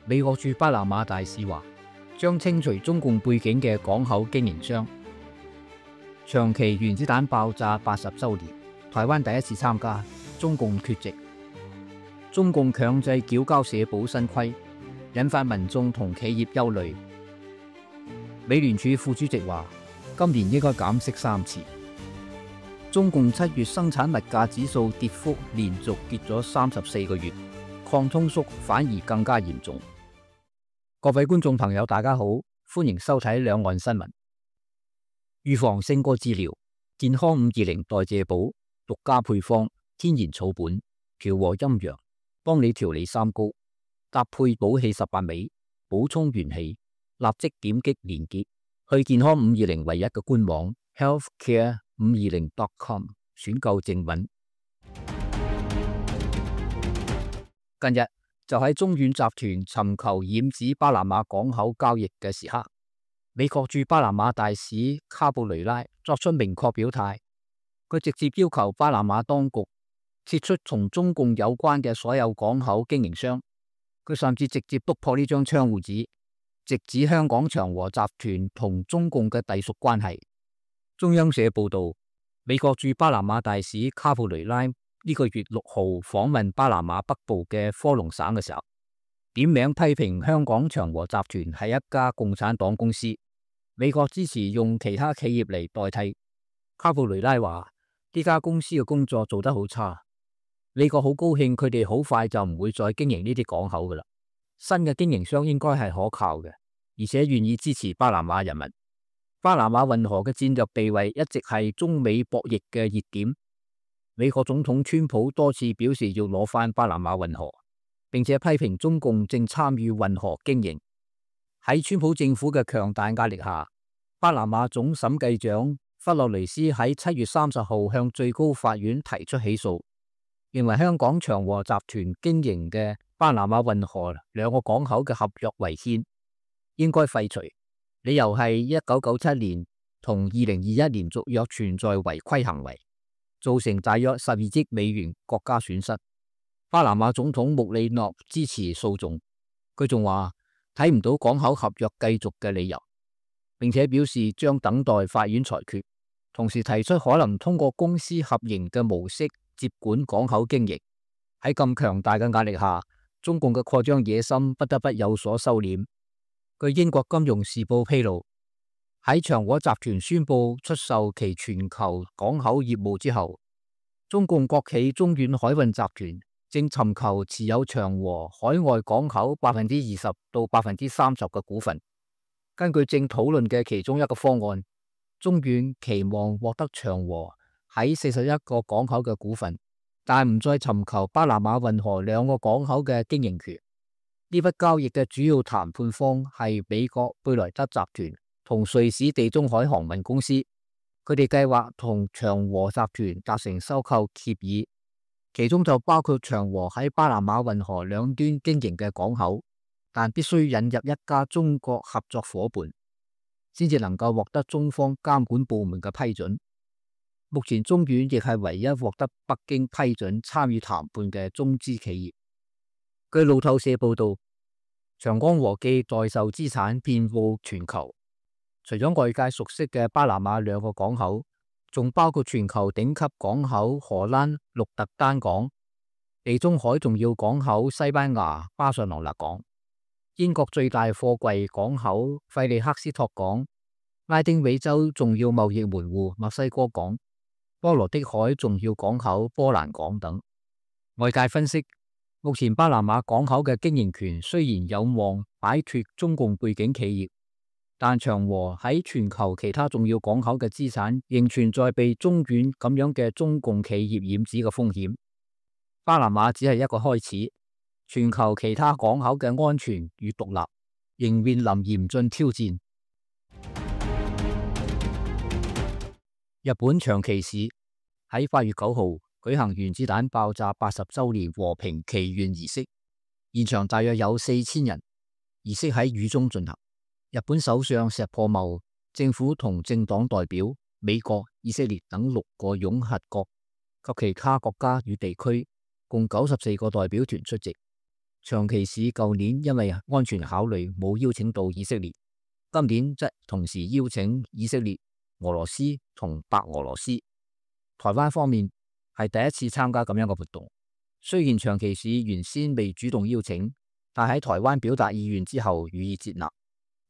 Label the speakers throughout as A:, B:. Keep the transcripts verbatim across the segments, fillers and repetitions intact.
A: 美國駐巴拿馬大使話，將清除中共背景嘅港口經營商。長崎原子彈爆炸八十週年，台灣第一次參加，中共缺席。中共強制繳交社保新規，引發民眾同企業憂慮。美聯儲副主席話，今年應該減息三次。中共七月生產物價指數跌幅連續跌咗三十四個月，抗通縮反而更加嚴重。各位觀眾朋友，大家好，歡迎收睇兩岸新聞。預防勝過治療，健康五二零代謝寶獨家配方，天然草本，調和陰陽，幫你調理三高，搭配補氣十八味，補充元氣。立即點擊連結去健康五二零唯一嘅官網 healthcare 五二零 dot com 選購正品。近日就喺中遠集團尋求染指巴拿馬港口交易嘅時刻，美國駐巴拿馬大使卡布雷拉作出明確表態，佢直接要求巴拿馬當局撤出同中共有關嘅所有港口經營商。佢甚至直接督破呢張窗戶紙，直指香港長和集團同中共嘅隸屬關係。中央社報道，美國駐巴拿馬大使卡布雷拉呢個月六號訪問巴拿馬北部嘅科隆省嘅時候，點名批評香港長和集團係一家共產黨公司，美國支持用其他企業嚟代替。卡布雷拉話呢家公司嘅工作做得好差，美國好高興佢哋好快就唔會再經營呢啲港口噶啦。新嘅經營商應該係可靠嘅，而且願意支持巴拿馬人民。巴拿馬運河嘅戰略地位一直係中美博弈嘅熱點。美國總統川普多次表示要攞返巴拿馬運河，並且批評中共正參與運河經營。喺川普政府嘅強大壓力下，巴拿馬總審計長弗洛雷斯喺七月三十號向最高法院提出起訴，認為香港長和集團經營嘅巴拿馬運河兩個港口嘅合約違憲，應該廢除。理由係一九九七年同二零二一年續約存在違規行為，造成大約十二億美元國家損失。巴拿馬總統穆里諾支持訴訟，佢仲話睇唔到港口合約繼續嘅理由，並且表示將等待法院裁決，同時提出可能通過公私合營嘅模式接管港口經營。喺咁強大嘅壓力下，中共嘅擴張野心不得不有所收斂。據英國金融時報披露，喺長和集團宣布出售其全球港口業務之後，中共國企中遠海運集團正尋求持有長和海外港口百分之二十到百分之三十嘅股份。根據正討論嘅其中一個方案，中遠期望獲得長和喺四十一個港口嘅股份，但唔再尋求巴拿馬運河兩個港口嘅經營權。呢筆交易嘅主要談判方係美國貝萊德集團同瑞士地中海航運公司，佢哋計劃同長和集團達成收購協議，其中就包括長和喺巴拿馬運河兩端經營嘅港口，但必須引入一家中國合作夥伴，先至能夠獲得中方監管部門嘅批准。目前中遠亦係唯一獲得北京批准參與談判嘅中資企業。據路透社報道，長江和記代售資產遍佈全球，除咗外界熟悉嘅巴拿馬兩個港口，仲包括全球頂級港口荷蘭鹿特丹港、地中海重要港口西班牙巴塞羅那港、英國最大貨櫃港口費利克斯托港、拉丁美洲重要貿易門戶墨西哥港、波羅的海重要港口波蘭港等。外界分析，目前巴拿馬港口嘅經營權雖然有望擺脫中共背景企業，但長和喺全球其他重要港口嘅資產仍存在被中遠咁樣嘅中共企業染指嘅風險。巴拿馬只係一個開始，全球其他港口嘅安全與獨立仍面臨嚴峻挑戰。日本長崎市喺八月九號舉行原子彈爆炸八十週年和平祈願儀式，現場大約有四千人。儀式喺雨中進行。日本首相石破茂、政府同政黨代表、美國、以色列等六個擁核國及其他國家與地區共九十四個代表團出席。長崎市舊年因為安全考慮冇邀請到以色列，今年則同時邀請以色列、俄羅斯同白俄羅斯。台灣方面係第一次參加咁樣嘅活動。雖然長崎市原先未主動邀請，但喺台灣表達意願之後予以接納。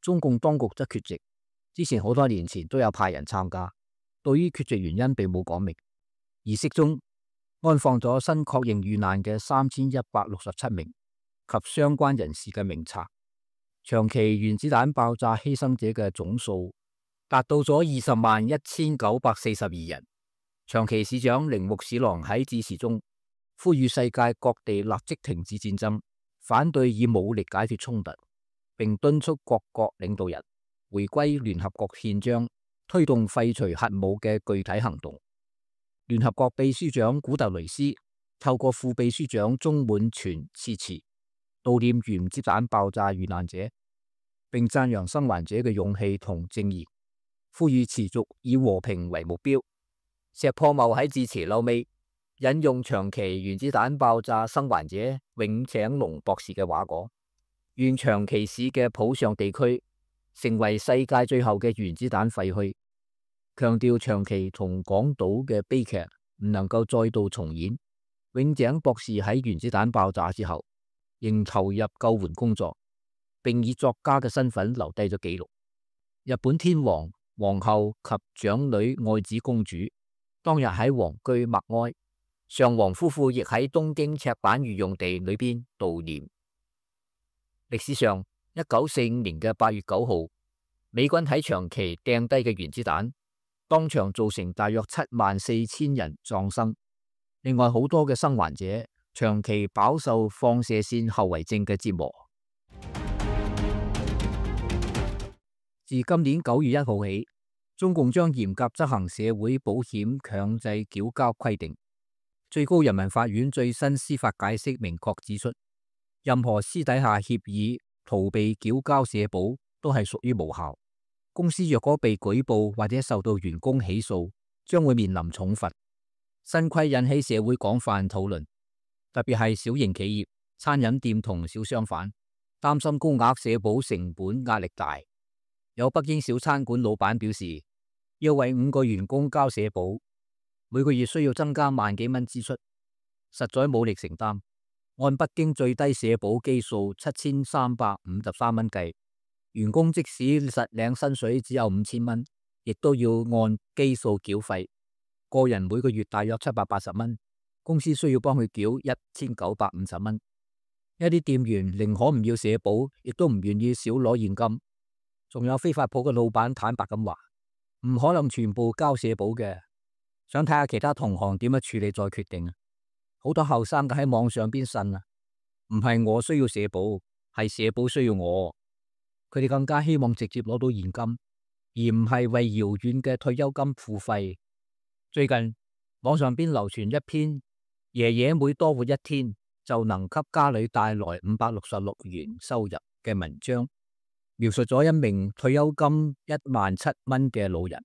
A: 中共當局則缺席。之前好多年前都有派人參加，對於缺席原因並冇講明。儀式中安放咗新確認遇難嘅三千一百六十七名及相關人士嘅名冊。長崎原子彈爆炸犧牲者嘅總數達到咗二十萬一千九百四十二人。長崎市長鈴木史郎喺致辭中呼籲世界各地立即停止戰爭，反對以武力解決衝突，並敦促各國領導人回歸聯合國憲章，推動廢除核武嘅具體行動。聯合國秘書長古特雷斯透過副秘書長中滿全致辭，悼念原子彈爆炸遇難者，並讚揚生還者嘅勇氣同正義，呼籲持續以和平為目標。石破茂喺致辭後尾引用長崎原子彈爆炸生還者永井隆博士嘅話講：願長崎市嘅浦上地區成為世界最後嘅原子彈廢墟，強調長崎同廣島嘅悲劇唔能夠再度重演。永井博士喺原子彈爆炸之後仍投入救援工作，並以作家嘅身份留低咗記錄。日本天皇、皇后及長女愛子公主當日喺皇居默哀，上皇夫婦亦喺東京赤坂御用地裏邊悼念。歷史上，一九四五年嘅八月九號，美軍喺長崎掟低嘅原子彈，當場造成大約七萬四千人喪生。另外好多嘅生還者長期飽受放射線後遺症嘅折磨。自今年九月一號起，中共將嚴格執行社會保險強制繳交規定。最高人民法院最新司法解釋明確指出，任何私底下協議逃避繳交社保都係屬於無效。公司若果被舉報或者受到員工起訴，將會面臨重罰。新規引起社會廣泛討論，特別係小型企業、餐飲店同小商販擔心高額社保成本壓力大。有北京小餐館老闆表示，要為五個員工交社保，每個月需要增加萬幾蚊支出，實在冇力承擔。按北京最低社保基數七千三百五十三蚊計，員工即使實領薪水只有五千蚊，亦都要按基數繳費。個人每個月大約七百八十蚊，公司需要幫佢繳一千九百五十蚊。一啲店員寧可唔要社保，亦都唔願意少攞現金。仲有飛髮鋪嘅老闆坦白咁話，唔可能全部交社保嘅，想睇下其他同行點樣處理再決定。好多後生嘅喺網上邊呻啊，唔係我需要社保，係社保需要我。佢哋更加希望直接攞到現金，而唔係為遙遠嘅退休金付費。最近網上邊流傳一篇爺爺每多活一天就能給家裏帶來五百六十六元收入嘅文章，描述咗一名退休金一萬七蚊嘅老人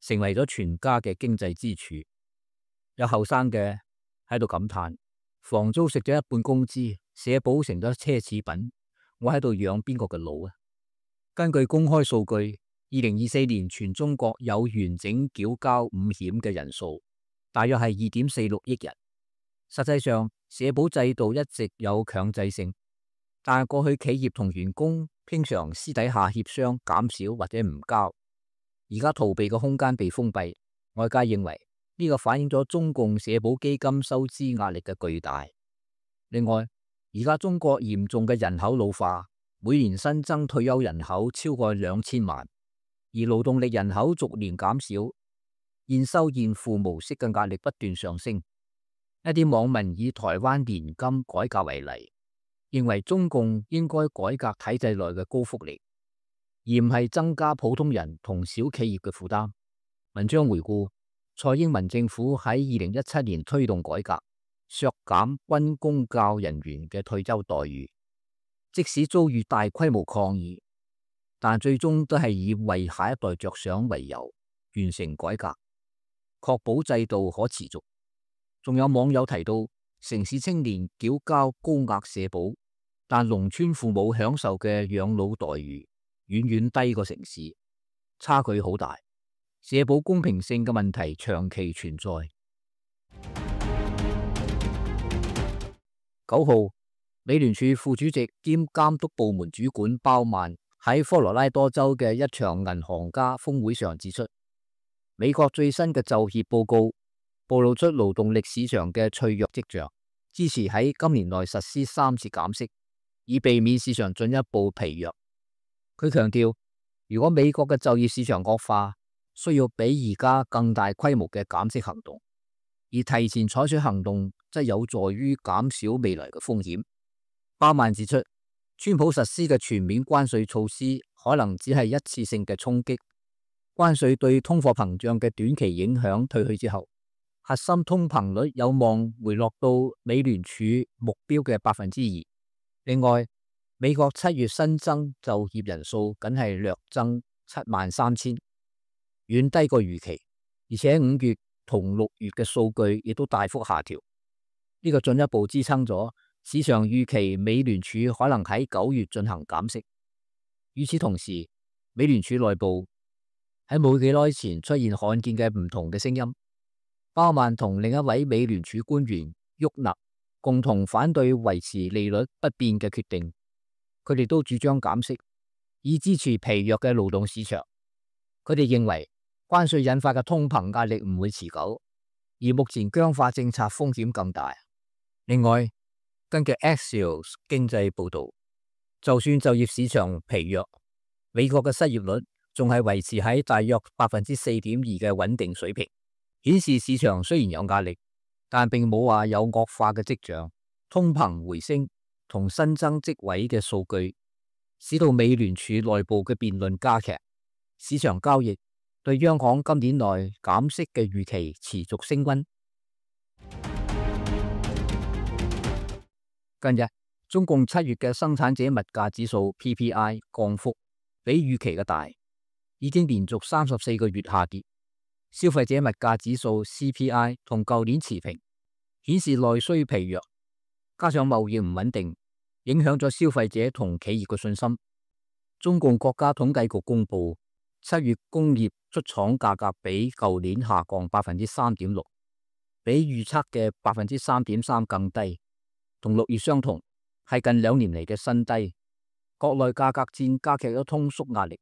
A: 成為咗全家嘅經濟支柱。有後生嘅喺度感嘆，房租食咗一半工資，社保成咗奢侈品，我喺度養邊個嘅老啊？根據公開數據，二零二四年全中國有完整繳交五險嘅人數大約係二點四六億人。實際上，社保制度一直有強制性，但係過去企業同員工經常私底下協商減少或者唔交，而家逃避嘅空間被封閉。外界認為呢個反映咗中共社保基金收支壓力嘅巨大。另外，而家中國嚴重嘅人口老化，每年新增退休人口超過兩千萬，而勞動力人口逐年減少，現收現付模式嘅壓力不斷上升。一啲網民以台灣年金改革為例，認為中共應該改革體制內嘅高福利，而唔係增加普通人同小企業嘅負擔。文章回顧，蔡英文政府喺二零一七年推動改革，削減軍公教人員嘅退休待遇，即使遭遇大規模抗議，但最終都係以為下一代着想為由完成改革，確保制度可持續。仲有網友提到，城市青年繳交高額社保，但農村父母享受嘅養老待遇遠遠低過城市，差距好大，社保公平性嘅問題長期存在。九號，美聯儲副主席兼監督部門主管鮑曼喺科羅拉多州嘅一場銀行家峰會上指出，美國最新嘅就業報告暴露出勞動力市場嘅脆弱跡象，支持喺今年內實施三次減息，以避免市場進一步疲弱。佢強調，如果美國嘅就業市場惡化，需要比而家更大規模嘅減息行動，而提前採取行動則有助於減少未來嘅風險。鮑曼指出，川普實施嘅全面關稅措施可能只係一次性嘅衝擊，關稅對通貨膨脹嘅短期影響退去之後，核心通膨率有望回落到美聯儲目標嘅百分之二。另外，美國七月新增就業人數僅係略增七萬三千，遠低過預期，而且五月同六月嘅數據亦都大幅下調，呢個進一步支撐咗市場預期美聯儲可能喺九月進行減息。與此同時，美聯儲內部喺冇幾耐前出現罕見嘅唔同嘅聲音。鮑曼同另一位美聯儲官員沃納共同反對維持利率不變嘅決定，佢哋都主張減息，以支持疲弱嘅勞動市場。佢哋認為關稅引發嘅通膨壓力唔會持久，而目前僵化政策風險更大。另外，根據 Axios 經濟報導，就算就業市場疲弱，美國嘅失業率仲係維持喺大約百分之四點二嘅穩定水平，顯示市場雖然有壓力，但並冇話有惡化嘅跡象。通膨回升同新增職位嘅數據，使到美聯儲內部嘅辯論加劇，市場交易對央行今年內減息嘅預期持續升溫。近日，中共七月嘅生產者物價指數 P P I 降幅比預期嘅大，已經連續三十四個月下跌。消費者物價指數 C P I 同舊年持平，顯示內需疲弱，加上貿易唔穩定，影響咗消費者同企業嘅信心。中共國家統計局公布，七月工業出廠價格比舊年下降百分之三點六，比預測嘅百分之三點三更低。同六月相同，係近兩年嚟嘅新低。國內價格戰加劇咗通縮壓力，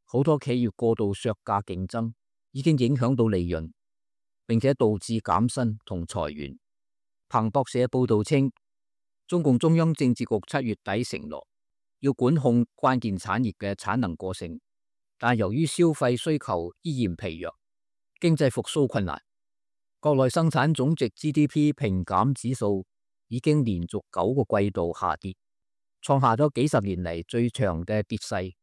A: 好多企業過度削價競爭，已經影響到利潤，並且導致減薪同裁員。彭博社報道稱，中共中央政治局七月底承諾要管控關鍵產業嘅產能過剩，但由於消費需求依然疲弱，經濟復甦困難，國內生產總值 G D P 平減指數已經連續九個季度下跌，創下咗幾十年嚟最長嘅跌勢。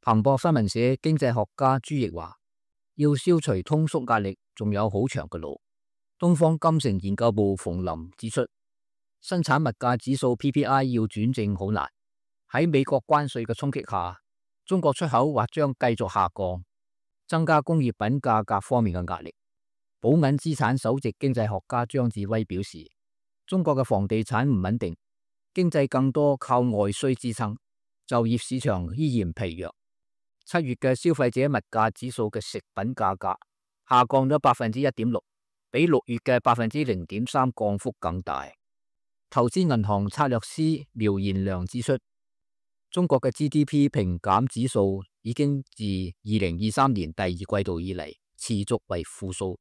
A: 彭博新聞社經濟學家朱奕話，要消除通縮壓力仲有好長嘅路。東方金城研究部馮林指出，生產物價指數 P P I 要轉正好難。喺美國關稅嘅衝擊下，中國出口或將繼續下降，增加工業品價格方面嘅壓力。寶銀資產首席經濟學家張志威表示，中國嘅房地產唔穩定，經濟更多靠外需支撐，就業市場依然疲弱。七月嘅消費者物價指數嘅食品價格下降咗百分之一點六，比六月嘅百分之零點三降幅更大。投資銀行策略師苗賢良指出，中國嘅 G D P 平減指數已經自二零二三年第二季度以嚟持續為負數，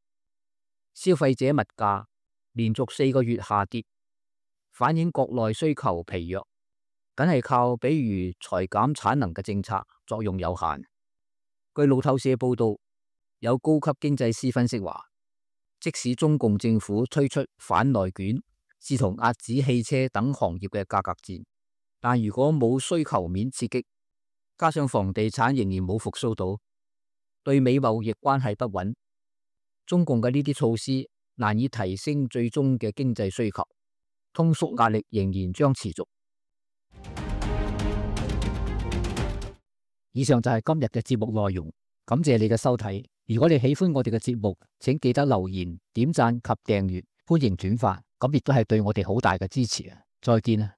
A: 消費者物價連續四個月下跌，反映國內需求疲弱，僅係靠比如裁減產能嘅政策作用有限。據路透社報道，有高級經濟師分析話，即使中共政府推出反內卷，試圖壓止汽車等行業嘅價格戰，但如果冇需求面刺激，加上房地產仍然冇復甦到，對美貿易關係不穩，中共嘅呢啲措施難以提升最終嘅經濟需求，通縮壓力仍然將持續。以上就係今日嘅節目內容，感謝你嘅收睇。如果你喜歡我哋嘅節目，請記得留言、點讚及訂閱，歡迎轉發，咁亦都係對我哋好大嘅支持啊！再見啊！